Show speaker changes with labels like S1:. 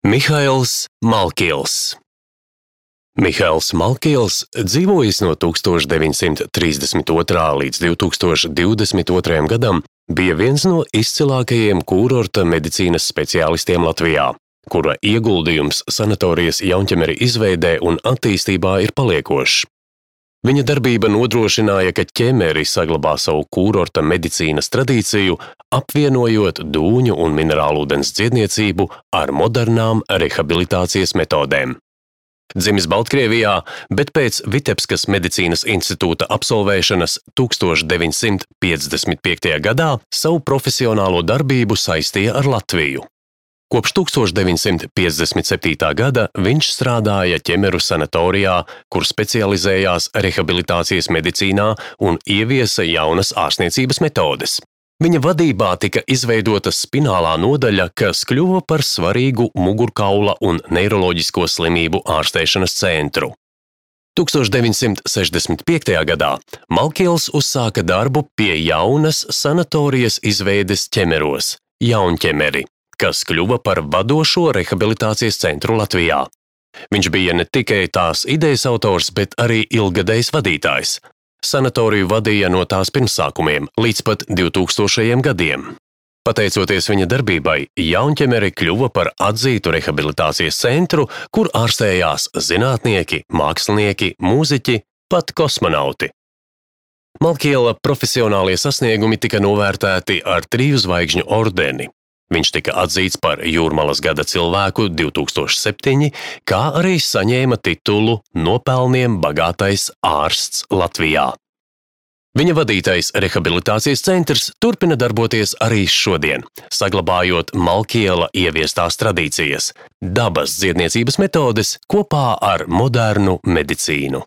S1: Mihails Malkils. Mihails Malkils dzīvojis no 1932. līdz 2022. gadam, bija viens no izcilākajiem kūrorta medicīnas speciālistiem Latvijā, kura ieguldījums sanatorijas Jaunķemeri izveidē un attīstībā ir paliekošs. Viņa darbība nodrošināja, ka ķemeri saglabā savu kūrorta medicīnas tradīciju, apvienojot dūņu un minerālūdens dziedniecību ar modernām rehabilitācijas metodēm. Dzimis Baltkrievijā, bet pēc Vitebskas medicīnas institūta absolvēšanas 1955. gadā savu profesionālo darbību saistīja ar Latviju. Kopš 1957. gada viņš strādāja ķemeru sanatorijā, kur specializējās rehabilitācijas medicīnā un ieviesa jaunas ārstniecības metodes. Viņa vadībā tika izveidota spinālā nodaļa, kas kļuva par svarīgu mugurkaula un neiroloģisko slimību ārstēšanas centru. 1965. gadā Malkils uzsāka darbu pie jaunas sanatorijas izveides ķemeros – Jaunķemeri, kas kļuva par vadošo rehabilitācijas centru Latvijā. Viņš bija ne tikai tās idejas autors, bet arī ilgadējs vadītājs. Sanatoriju vadīja no tās pirmsākumiem līdz pat 2000. gadiem. Pateicoties viņa darbībai, Jaunķemeri kļuva par atzītu rehabilitācijas centru, kur ārstējās zinātnieki, mākslinieki, mūziķi, pat kosmonauti. Malkila profesionālie sasniegumi tika novērtēti ar 3 zvaigžņu ordeni. Viņš tika atzīts par Jūrmalas gada cilvēku 2007, kā arī saņēma titulu Nopelniem bagātais ārsts Latvijā. Viņa vadītais rehabilitācijas centrs turpina darboties arī šodien, saglabājot Malkila ieviestās tradīcijas, dabas dziedniecības metodes kopā ar modernu medicīnu.